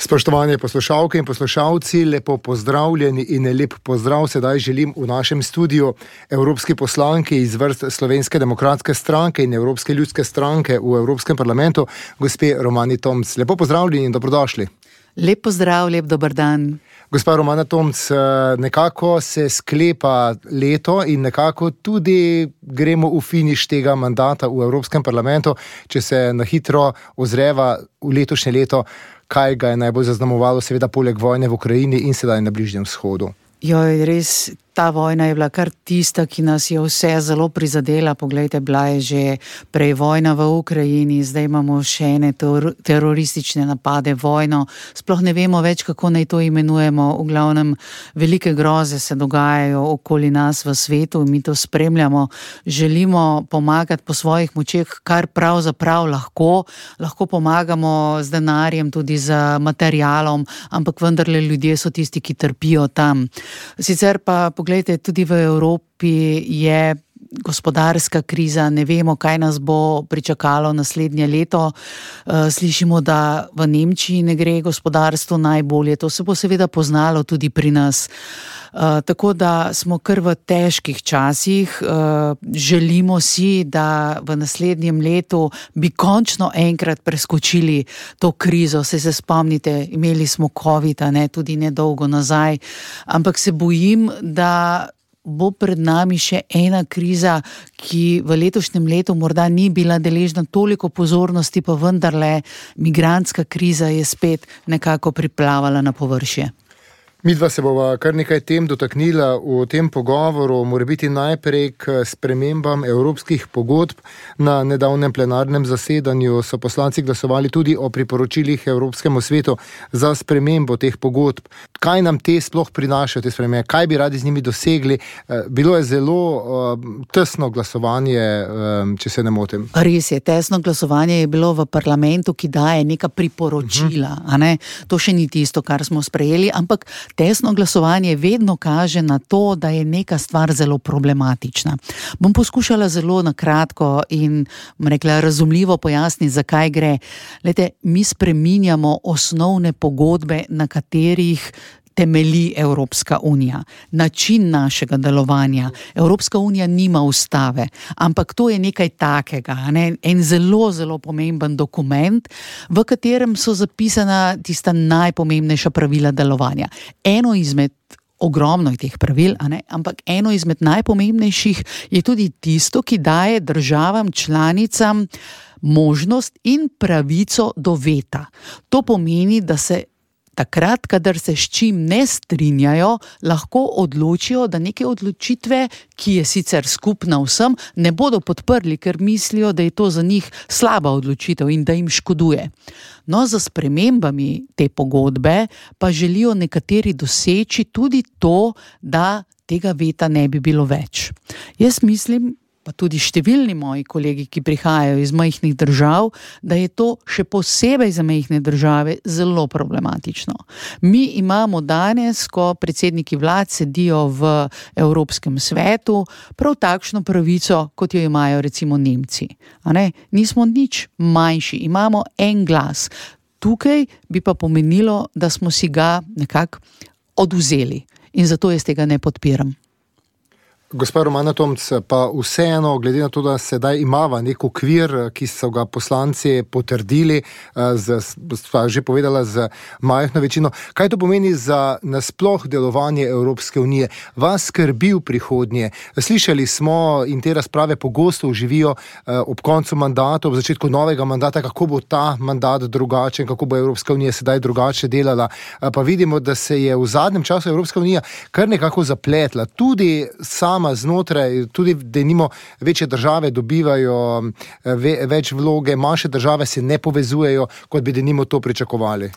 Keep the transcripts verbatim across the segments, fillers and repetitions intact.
Spoštovani poslušalke in poslušalci, lepo pozdravljeni in lep pozdrav sedaj želim v našem studiu evropski poslanki iz vrst Slovenske demokratske stranke in Evropske ljudske stranke v Evropskem parlamentu, gospe Romani Tomc. Lepo pozdravljeni in dobrodošli. Lep pozdrav, lep dober dan. Gospa Romana Tomc, nekako se sklepa leto in nekako tudi gremo v finiš tega mandata v Evropskem parlamentu, če se na hitro ozreva v letošnje leto, kaj ga je najbolj zaznamovalo, seveda poleg vojne v Ukrajini in sedaj na Bližnjem vzhodu. Joj, res, ta vojna je bila kar tista, ki nas je vse zelo prizadela. Poglejte, bila je že prej vojna v Ukrajini, zdaj imamo še ene ter- teroristične napade, vojno. Sploh ne vemo več, kako naj to imenujemo. V glavnem, velike groze se dogajajo okoli nas v svetu, mi to spremljamo. Želimo pomagati po svojih močeh, kar pravzaprav lahko. Lahko pomagamo z denarjem, tudi z materialom, ampak vendarle ljudje so tisti, ki trpijo tam. Sicer pa, poglejte, tudi v Evropi je gospodarska kriza, ne vemo, kaj nas bo pričakalo naslednje leto. Slišimo, da v Nemčiji ne gre gospodarstvo najbolje, to se bo seveda poznalo tudi pri nas. Tako da smo kar v težkih časih, želimo si, da v naslednjem letu bi končno enkrat preskočili to krizo. Se se spomnite, imeli smo COVID, ne, tudi nedolgo nazaj, ampak se bojim, da bo pred nami še ena kriza, ki v letošnjem letu morda ni bila deležna toliko pozornosti, pa vendarle migrantska kriza je spet nekako priplavala na površje. Midva se bova kar nekaj tem dotaknila v tem pogovoru, morebiti najprej k spremembam evropskih pogodb. Na nedavnem plenarnem zasedanju so poslanci glasovali tudi o priporočilih Evropskemu svetu za spremembo teh pogodb. Kaj nam te sploh prinašajo, te spremembe? Kaj bi radi z njimi dosegli? Bilo je zelo uh, tesno glasovanje, um, če se ne motim. Res je, tesno glasovanje je bilo v parlamentu, ki daje neka priporočila. Uh-huh. A ne? To še ni tisto, kar smo sprejeli, ampak tesno glasovanje vedno kaže na to, da je neka stvar zelo problematična. Bom poskušala zelo na kratko in rekla, razumljivo pojasniti, zakaj gre. Lejte, mi spreminjamo osnovne pogodbe, na katerih temelji Evropska unija, način našega delovanja. Evropska unija nima ustave, ampak to je nekaj takega, ne? En zelo, zelo pomemben dokument, v katerem so zapisana tista najpomembnejša pravila delovanja. Eno izmed Ogromno je teh pravil, a ne? Ampak eno izmed najpomembnejših je tudi tisto, ki daje državam članicam možnost in pravico do veta. To pomeni, da se takrat, kadar se s čim ne strinjajo, lahko odločijo, da neke odločitve, ki je sicer skupna vsem, ne bodo podprli, ker mislijo, da je to za njih slaba odločitev in da jim škoduje. No, za spremembami te pogodbe pa želijo nekateri doseči tudi to, da tega veta ne bi bilo več. Jaz mislim, pa tudi številni moji kolegi, ki prihajajo iz majhnih držav, da je to še posebej za majhne države zelo problematično. Mi imamo danes, ko predsedniki vlad sedijo v Evropskem svetu, prav takšno pravico, kot jo imajo recimo Nemci. A ne? Nismo nič manjši, imamo en glas. Tukaj bi pa pomenilo, da smo si ga nekako odvzeli in zato jaz tega ne podpiram. Gospa Romana Tomc, pa vseeno, glede na to, da sedaj imava nek okvir, ki so ga poslanci potrdili, z, sva že povedala, z majhno večino, kaj to pomeni za nasploh delovanje Evropske unije? Vas skrbi v prihodnje? Slišali smo in te razprave pogosto uživijo ob koncu mandata, ob začetku novega mandata, kako bo ta mandat drugačen, kako bo Evropska unija sedaj drugače delala. Pa vidimo, da se je v zadnjem času Evropska unija kar nekako zapletla. Tudi sama znotraj, tudi denimo večje države dobivajo ve, več vloge, manjše države se ne povezujejo, kot bi denimo to pričakovali.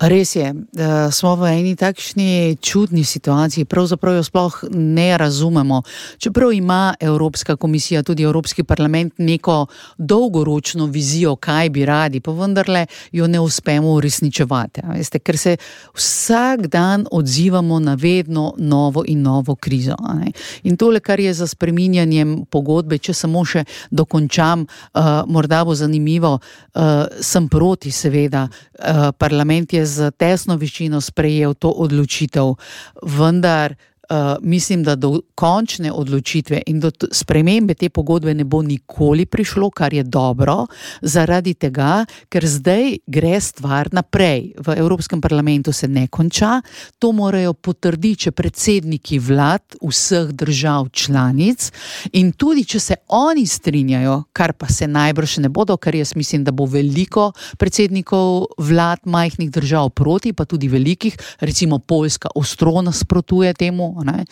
Res je, smo v eni takšni čudni situaciji, pravzaprav jo sploh ne razumemo. Čeprav ima Evropska komisija, tudi Evropski parlament neko dolgoročno vizijo, kaj bi radi, pa vendarle jo ne uspemo uresničevati. Veste, ker se vsak dan odzivamo na vedno novo in novo krizo. In tole, kar je za spreminjanjem pogodbe, če samo še dokončam, uh, morda bo zanimivo, uh, sem proti seveda, uh, parlament je z tesno večino sprejel to odločitev, vendar Uh, mislim, da do končne odločitve in do t- spremembe te pogodbe ne bo nikoli prišlo, kar je dobro, zaradi tega, ker zdaj gre stvar naprej. V Evropskem parlamentu se ne konča, to morajo potrditi še predsedniki vlad vseh držav članic in tudi, če se oni strinjajo, kar pa se najbrž ne bodo, ker jaz mislim, da bo veliko predsednikov vlad majhnih držav proti, pa tudi velikih, recimo Poljska ostro nasprotuje temu, ne,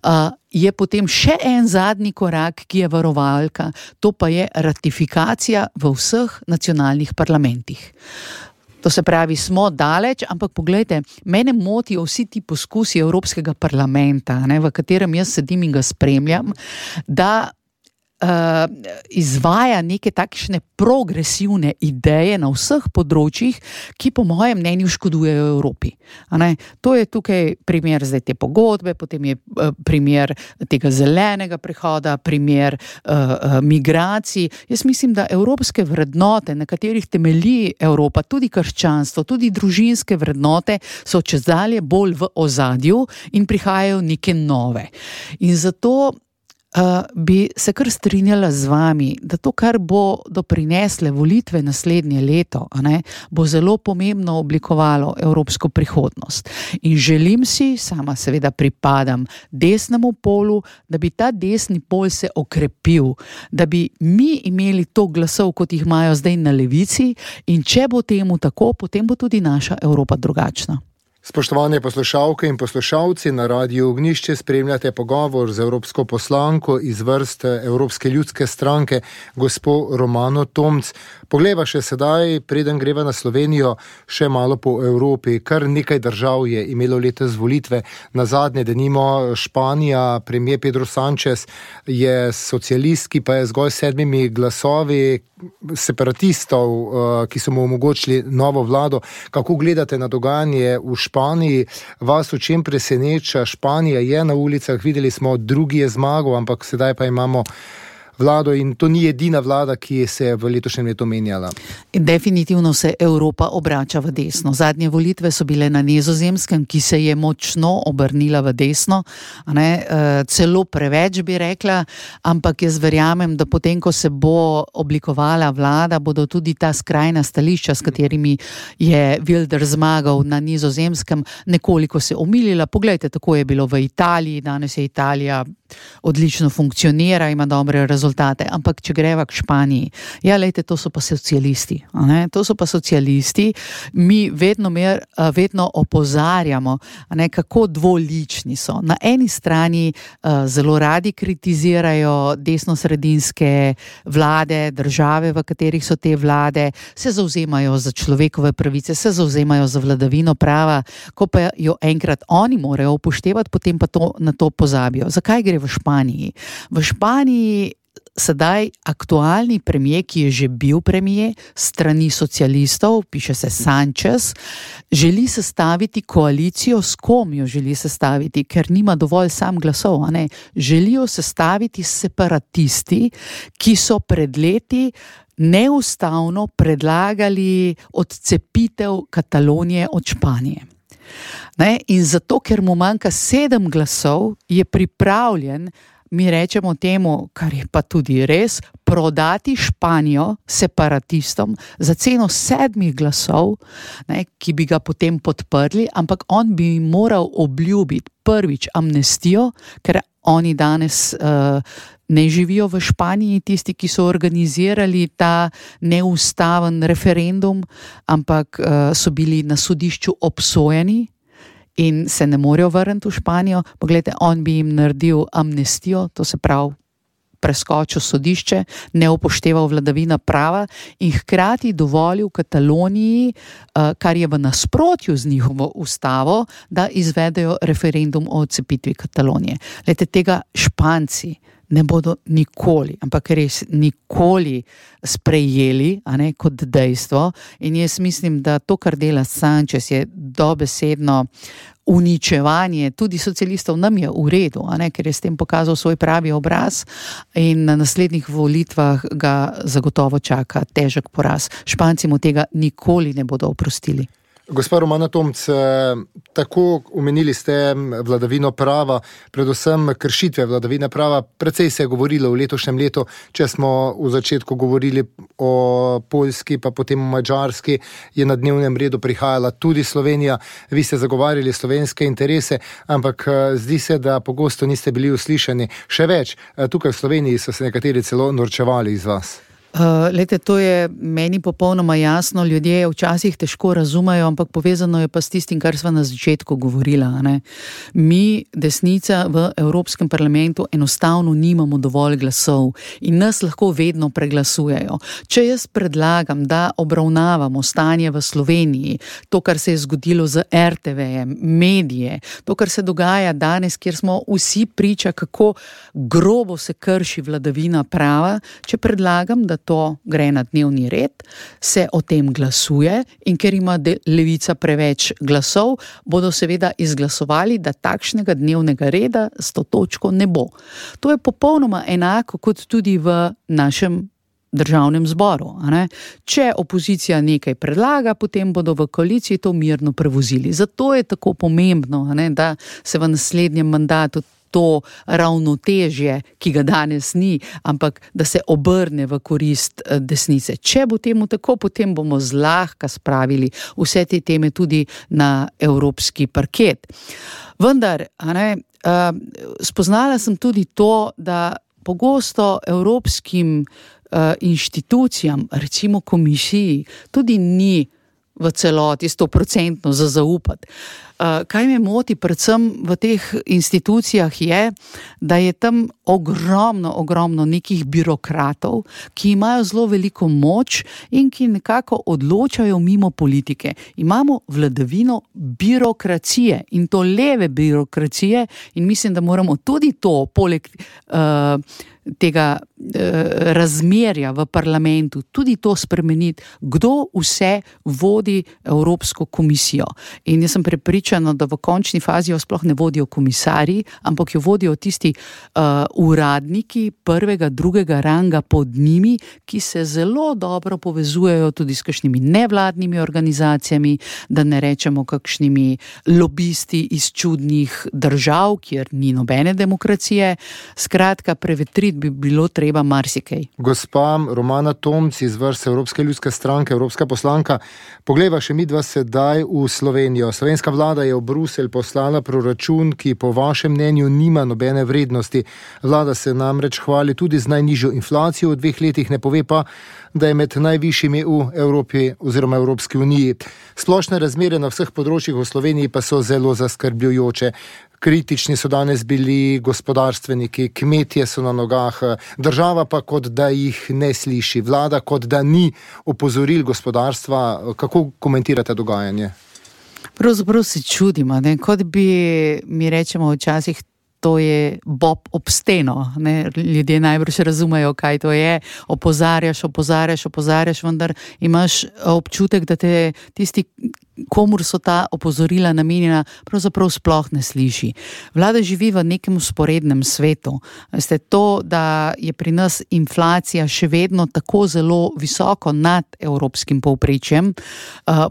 uh, je potem še en zadnji korak, ki je varovalka, to pa je ratifikacija v vseh nacionalnih parlamentih. To se pravi, smo daleč, ampak poglejte, mene motijo vsi ti poskusi Evropskega parlamenta, ne, v katerem jaz sedim in ga spremljam, da Uh, izvaja neke takšne progresivne ideje na vseh področjih, ki po mojem mnenju škodujejo Evropi. A ne? To je tukaj primer zdaj te pogodbe, potem je uh, primer tega zelenega prehoda, primer uh, uh, migracij. Jaz mislim, da evropske vrednote, na katerih temelji Evropa, tudi krščanstvo, tudi družinske vrednote, so čezdalje bolj v ozadju in prihajajo neke nove. In zato Uh, bi se kar strinjala z vami, da to, kar bo doprinesle volitve naslednje leto, a ne, bo zelo pomembno oblikovalo evropsko prihodnost. In želim si, sama seveda pripadam desnemu polu, da bi ta desni pol se okrepil, da bi mi imeli to glasov, kot jih imajo zdaj na levici, in če bo temu tako, potem bo tudi naša Evropa drugačna. Spoštovane poslušalke in poslušalci, na Radiu Ognjišče spremljate pogovor z evropsko poslanko iz vrst Evropske ljudske stranke, gospo Romano Tomc. Poglejva še sedaj, preden greva na Slovenijo, še malo po Evropi. Kar nekaj držav je imelo letos volitve. Nazadnje, denimo Španija, premier Pedro Sánchez je socialist, ki pa je zgolj sedmimi glasovi separatistov, ki so mu omogočili novo vlado. Kako gledate na dogajanje v Španiji? Vas v čem preseneča? Španija je na ulicah, videli smo, drugi je zmagal, ampak sedaj pa imamo vlado in to ni edina vlada, ki se je v letošnjem letu menjala. Definitivno se Evropa obrača v desno. Zadnje volitve so bile na Nizozemskem, ki se je močno obrnila v desno, a ne, celo preveč bi rekla, ampak jaz verjamem, da potem, ko se bo oblikovala vlada, bodo tudi ta skrajna stališča, s katerimi je Wilder zmagal na Nizozemskem, nekoliko se omilila. Poglejte, tako je bilo v Italiji, danes je Italija odlično funkcionira, ima dobre rezultate, ampak če greva k Španiji, ja, lejte, to so pa socialisti, a ne? To so pa socialisti, mi vedno, mer, vedno opozarjamo, a ne, kako dvolični so. Na eni strani uh, zelo radi kritizirajo desnosredinske vlade, države, v katerih so te vlade, se zauzemajo za človekove pravice, se zauzemajo za vladavino prava, ko pa jo enkrat oni morajo upoštevati, potem pa to, na to pozabijo. Zakaj gre v Španiji? V Španiji sedaj aktualni premier, ki je že bil premier strani socialistov, piše se Sánchez, želi sestaviti koalicijo. S kom jo želi sestaviti? Ker nima dovolj sam glasov, a ne? Želijo sestaviti separatisti, ki so pred leti neustavno predlagali odcepitev Katalonije od Španije. Ne? In zato, ker mu manjka sedem glasov, je pripravljen, mi rečemo temu, kar je pa tudi res, prodati Španijo separatistom za ceno sedmih glasov, ne, ki bi ga potem podprli, ampak on bi moral obljubiti prvič amnestijo, ker oni danes uh, ne živijo v Španiji, tisti, ki so organizirali ta neustaven referendum, ampak uh, so bili na sodišču obsojeni in se ne morejo vrniti v Španijo. Poglejte, on bi jim naredil amnestijo, to se pravi preskočil sodišče, ne upošteval vladavina prava in hkrati dovolil Kataloniji, kar je v nasprotju z njihovo ustavo, da izvedejo referendum o odcepitvi Katalonije. Glejte, tega Španci ne bodo nikoli, ampak res nikoli sprejeli, a ne, kot dejstvo. In jaz mislim, da to, kar dela Sanchez, je dobesedno uničevanje tudi socialistov. Nam je v redu, a ne, ker je s tem pokazal svoj pravi obraz in na naslednjih volitvah ga zagotovo čaka težek poraz. Španci mu tega nikoli ne bodo oprostili. Gospa Romana Tomc, tako omenili ste vladavino prava, predvsem kršitve vladavine prava. Precej se je govorilo v letošnjem letu, če smo v začetku govorili o Poljski, pa potem o Madžarski, je na dnevnem redu prihajala tudi Slovenija. Vi ste zagovarjali slovenske interese, ampak zdi se, da pogosto niste bili uslišani. Še več, tukaj v Sloveniji so se nekateri celo norčevali iz vas. Uh, lete, to je meni popolnoma jasno, ljudje včasih težko razumejo, ampak povezano je pa s tistim, kar sva na začetku govorila. Ne? Mi, desnica v Evropskem parlamentu, enostavno nimamo dovolj glasov in nas lahko vedno preglasujejo. Če jaz predlagam, da obravnavamo stanje v Sloveniji, to, kar se je zgodilo z er te vejem, medije, to, kar se dogaja danes, kjer smo vsi priča, kako grobo se krši vladavina prava, če predlagam, da to gre na dnevni red, se o tem glasuje in ker ima levica preveč glasov, bodo seveda izglasovali, da takšnega dnevnega reda s to točko ne bo. To je popolnoma enako kot tudi v našem državnem zboru. A ne? Če opozicija nekaj predlaga, potem bodo v koaliciji to mirno prevozili. Zato je tako pomembno, a ne, da se v naslednjem mandatu to ravnotežje, ki ga danes ni, ampak da se obrne v korist desnice. Če bo temu tako, potem bomo zlahka spravili vse te teme tudi na evropski parket. Vendar, a ne, spoznala sem tudi to, da pogosto evropskim inštitucijam, recimo komisiji, tudi ni v celoti stoprocentno za zaupati. Kaj me moti predvsem v teh institucijah je, da je tam ogromno, ogromno nekih birokratov, ki imajo zelo veliko moč in ki nekako odločajo mimo politike. Imamo vladavino birokracije in to leve birokracije in mislim, da moramo tudi to poleg uh, tega eh, razmerja v parlamentu, tudi to spremeniti, kdo vse vodi Evropsko komisijo. In jaz sem prepričana, da v končni fazi jo sploh ne vodijo komisarji, ampak jo vodijo tisti uh, uradniki prvega, drugega ranga pod njimi, ki se zelo dobro povezujejo tudi s kakšnimi nevladnimi organizacijami, da ne rečemo kakšnimi lobisti iz čudnih držav, kjer ni nobene demokracije. Skratka, prevetriti bi bilo treba marsikaj. Gospa Romana Tomc iz vrst Evropske ljudske stranke, evropska poslanka, poglejva še midva sedaj v Slovenijo. Slovenska vlada je v Bruselj poslala proračun, ki po vašem mnenju nima nobene vrednosti. Vlada se namreč hvali tudi z najnižjo inflacijo v dveh letih, ne pove pa, da je med najvišjimi v Evropi oziroma Evropski uniji. Splošne razmere na vseh področjih v Sloveniji pa so zelo zaskrbljujoče. Kritični so danes bili gospodarstveniki, kmetje so na nogah, država pa kot da jih ne sliši, vlada kot da ni opozoril gospodarstva. Kako komentirate dogajanje? Pravzaprav se čudimo, ne? Kot bi mi rečemo včasih, to je bob ob steno. Ne? Ljudje najbrž razumejo, kaj to je. Opozarjaš, opozarjaš, opozarjaš, vendar imaš občutek, da te tisti, komur so ta opozorila namenjena, pravzaprav sploh ne sliši. Vlada živi v nekem usporednem svetu. Veste, to, da je pri nas inflacija še vedno tako zelo visoko nad evropskim povprečjem,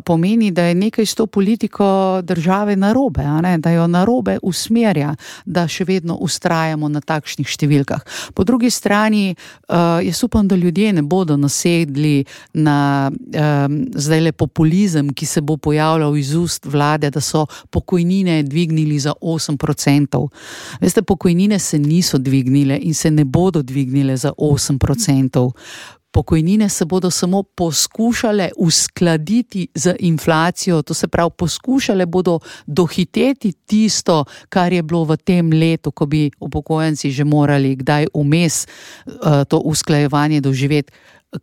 pomeni, da je nekaj s to politiko države narobe, a ne? Da jo narobe usmerja, da še vedno ustrajamo na takšnih številkah. Po drugi strani, jaz upam, da ljudje ne bodo nasedli na zdajle populizem, ki se bo pojavljal iz ust vlade, da so pokojnine dvignili za osem procentov. Veste, pokojnine se niso dvignile in se ne bodo dvignile za osem procentov. Pokojnine se bodo samo poskušale uskladiti z inflacijo, to se pravi, poskušale bodo dohiteti tisto, kar je bilo v tem letu, ko bi upokojenci že morali kdaj vmes uh, to usklajevanje doživeti,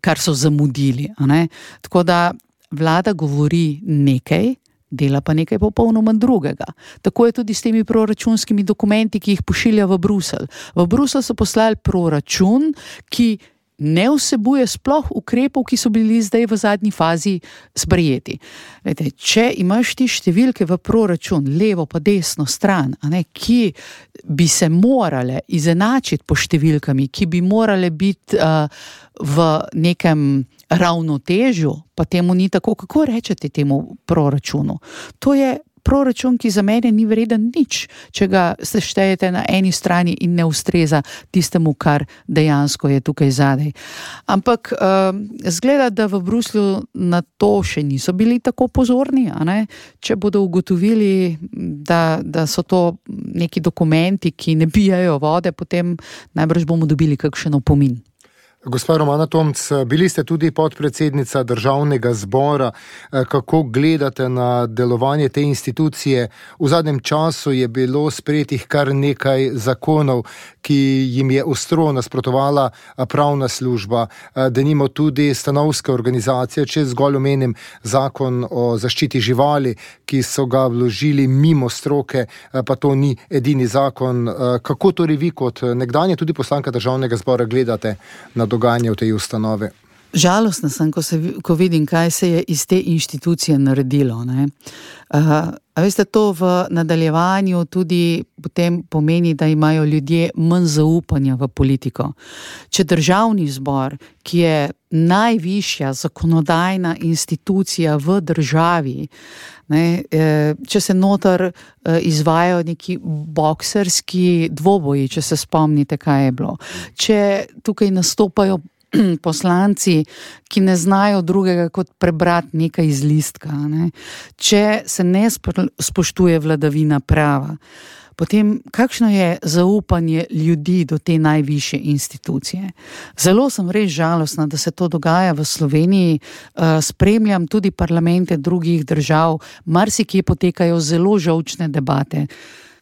kar so zamudili. A ne? Tako da vlada govori nekaj, dela pa nekaj popolnoma drugega. Tako je tudi s temi proračunskimi dokumenti, ki jih pošilja v Bruselj. V Bruselj so poslali proračun, ki ne vsebuje sploh ukrepov, ki so bili zdaj v zadnji fazi sprejeti. Lejte, če imaš ti številke v proračun, levo pa desno stran, a ne, ki bi se morale izenačiti po številkami, ki bi morale biti uh, v nekem ravnotežju, pa temu ni tako, kako rečete temu proračunu? To je proračun, ki za mene ni vreden nič, če ga seštejete na eni strani in ne ustreza tistemu, kar dejansko je tukaj zadaj. Ampak uh, zgleda, da v Bruslju na to še niso bili tako pozorni, a ne? Če bodo ugotovili, da, da so to neki dokumenti, ki ne bijajo vode, potem najbrž bomo dobili kakšen opomin. Gospa Romana Tomc, bili ste tudi podpredsednica Državnega zbora. Kako gledate na delovanje te institucije? V zadnjem času je bilo sprejetih kar nekaj zakonov, ki jim je ostro nasprotovala pravna služba. Denimo tudi stanovske organizacije, če zgolj omenim zakon o zaščiti živali, ki so ga vložili mimo stroke, pa to ni edini zakon. Kako torej vi kot nekdanja tudi poslanka Državnega zbora gledate na dogajanje v tej ustanovi? Žalostna sem, ko, se, ko vidim, kaj se je iz te inštitucije naredilo. Ne? Uh, a veste, to v nadaljevanju tudi potem pomeni, da imajo ljudje manj zaupanja v politiko. Če Državni zbor, ki je najvišja zakonodajna institucija v državi, ne, če se noter izvajajo neki bokserski dvoboji, če se spomnite, kaj je bilo, če tukaj nastopajo poslanci, ki ne znajo drugega kot prebrati nekaj iz listka, ne? Če se ne spoštuje vladavina prava, potem kakšno je zaupanje ljudi do te najvišje institucije? Zelo sem res žalostna, da se to dogaja v Sloveniji. Spremljam tudi parlamente drugih držav, marsikje potekajo zelo žolčne debate.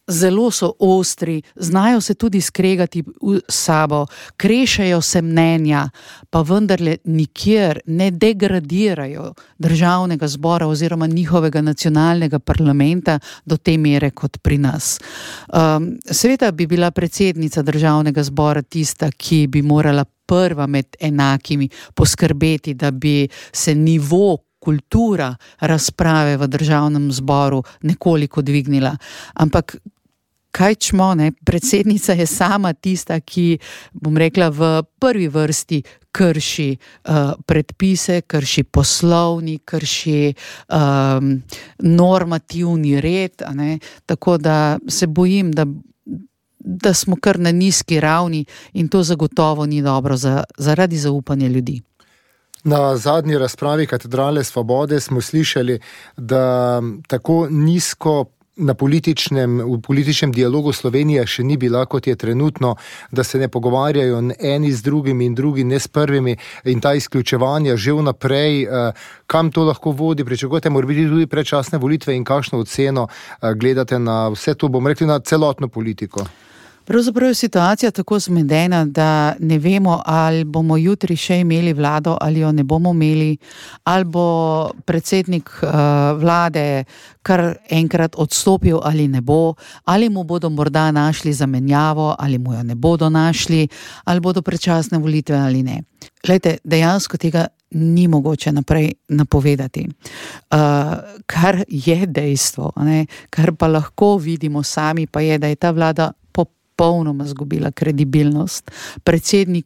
Zelo so ostri, znajo se tudi skregati v sabo, krešajo se mnenja, pa vendarle nikjer ne degradirajo Državnega zbora oziroma njihovega nacionalnega parlamenta do te mere kot pri nas. Um, seveda bi bila predsednica Državnega zbora tista, ki bi morala prva med enakimi poskrbeti, da bi se nivo kultura razprave v Državnem zboru nekoliko dvignila. Ampak kaj čmo, ne? Predsednica je sama tista, ki, bom rekla, v prvi vrsti krši uh, predpise, krši poslovnik, krši um, normativni red, a ne? Tako da se bojim, da da smo kar na nizki ravni in to zagotovo ni dobro za, zaradi zaupanja ljudi. Na zadnji razpravi Katedrale Svobode smo slišali, da tako nizko na političnem, v političnem dialogu Slovenija še ni bila, kot je trenutno, da se ne pogovarjajo eni z drugimi in drugi ne s prvimi in ta izključevanja že vnaprej. Kam to lahko vodi? Pričakujete morebiti tudi predčasne volitve in kakšno oceno gledate na vse to, bom rekli, na celotno politiko? Pravzaprav je situacija tako zmedena, da ne vemo, ali bomo jutri še imeli vlado ali jo ne bomo imeli, ali bo predsednik uh, vlade kar enkrat odstopil ali ne bo, ali mu bodo morda našli zamenjavo ali mu jo ne bodo našli, ali bodo predčasne volitve ali ne. Glejte, dejansko tega ni mogoče naprej napovedati. Uh, kar je dejstvo, ne, kar pa lahko vidimo sami, pa je, da je ta vlada popolnoma zgubila kredibilnost. Predsednik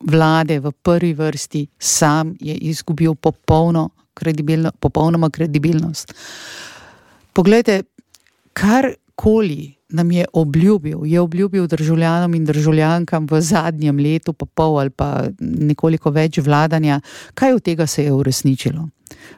vlade v prvi vrsti sam je izgubil popolno kredibilno, popolnoma kredibilnost. Poglejte, karkoli nam je obljubil, je obljubil državljanom in državljankam v zadnjem letu pa pol ali pa nekoliko več vladanja, kaj od tega se je uresničilo?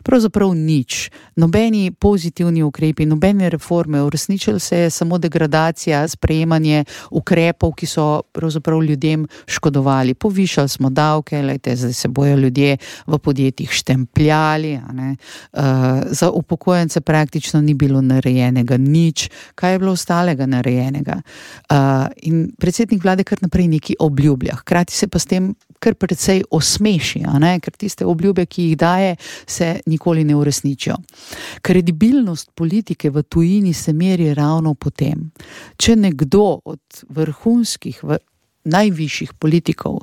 Pravzaprav nič. Nobeni pozitivni ukrepi, nobene reforme. Uresničilo se je samo degradacija, sprejemanje ukrepov, ki so pravzaprav ljudem škodovali. Povišali smo davke, lejte, zdaj se bojo ljudje v podjetjih štempljali. A ne? Uh, za upokojence praktično ni bilo narejenega nič. Kaj je bilo ostalega narejenega? Uh, in predsednik vlade kar naprej neki obljublja. Hkrati se pa s tem kar precej osmeši, a ne? Ker tiste obljube, ki jih daje, se nikoli ne uresničijo. Kredibilnost politike v tujini se meri ravno po tem. Če nekdo od vrhunskih, najvišjih politikov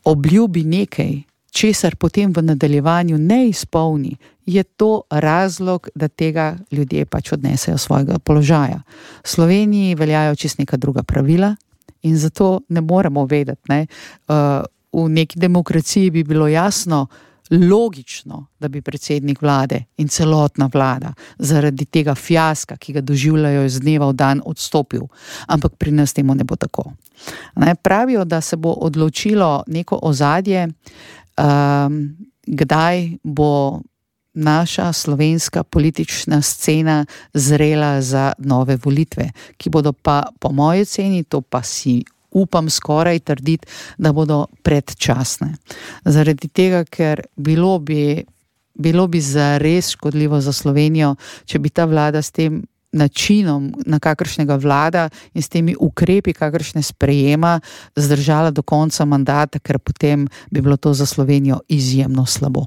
obljubi nekaj, česar potem v nadaljevanju ne izpolni, je to razlog, da tega ljudje pač odnesejo svojega položaja. V Sloveniji veljajo čisto neka druga pravila in zato ne moremo vedeti. Ne? V neki demokraciji bi bilo jasno, logično, da bi predsednik vlade in celotna vlada zaradi tega fiaska, ki ga doživljajo iz dneva v dan, odstopil. Ampak pri nas temu ne bo tako. Ne? Pravijo, da se bo odločilo neko ozadje, Um, kdaj bo naša slovenska politična scena zrela za nove volitve, ki bodo pa po moji oceni, to pa si upam skoraj trditi, da bodo predčasne. Zaradi tega, ker bilo bi, bilo bi zares škodljivo za Slovenijo, če bi ta vlada s tem načinom, na kakršnega vlada in s temi ukrepi, kakršne sprejema, zdržala do konca mandata, ker potem bi bilo to za Slovenijo izjemno slabo.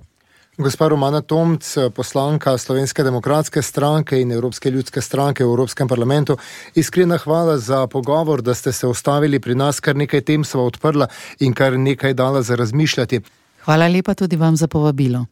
Gospa Romana Tomc, poslanka Slovenske demokratske stranke in Evropske ljudske stranke v Evropskem parlamentu, iskrena hvala za pogovor, da ste se ustavili pri nas, kar nekaj tem sva odprla in kar nekaj dala za razmišljati. Hvala lepa tudi vam za povabilo.